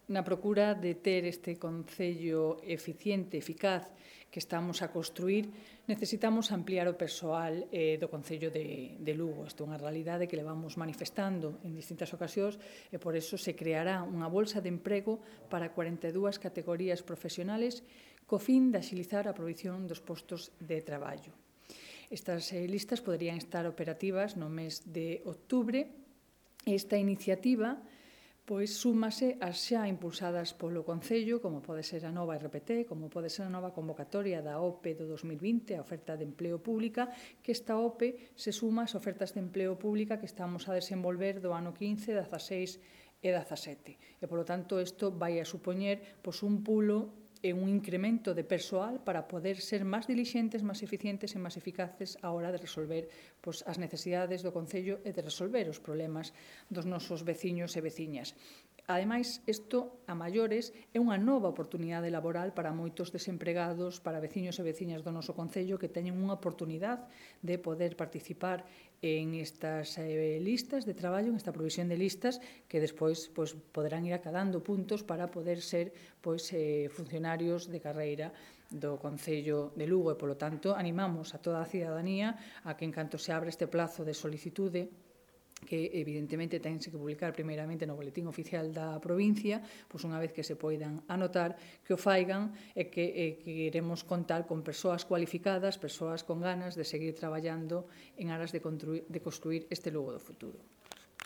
na procura de ter este Concello eficiente, eficaz, que estamos a construir, necesitamos ampliar o persoal do Concello de Lugo. Isto é unha realidade que levamos manifestando en distintas ocasións e por eso se creará unha bolsa de emprego para 42 categorías profesionales co fin de axilizar a provisión dos postos de traballo. Estas listas poderían estar operativas no mes de outubro. Esta iniciativa súmase ás xa impulsadas polo Concello, como pode ser a nova RPT, como pode ser a nova convocatoria da OPE do 2020, a oferta de empleo pública, que esta OPE se suma ás ofertas de empleo pública que estamos a desenvolver do ano 15, 16 e 17. E, polo tanto, isto vai a supoñer un pulo e un incremento de persoal para poder ser máis dilixentes, máis eficientes e máis eficaces á hora de resolver as necesidades do Concello e de resolver os problemas dos nosos veciños e veciñas. Ademais, isto, a maiores, é unha nova oportunidade laboral para moitos desempregados, para veciños e veciñas do noso Concello que teñen unha oportunidade de poder participar en estas listas de traballo, en esta provisión de listas, que despois poderán ir acadando puntos para poder ser funcionarios de carreira do Concello de Lugo e, polo tanto, animamos a toda a cidadanía a que, en canto se abre este plazo de solicitude, que evidentemente tense que publicar primeiramente no boletín oficial da provincia, unha vez que se poidan anotar, que o faigan e que queremos contar con persoas cualificadas, persoas con ganas de seguir traballando en aras de construir este Lugo do futuro.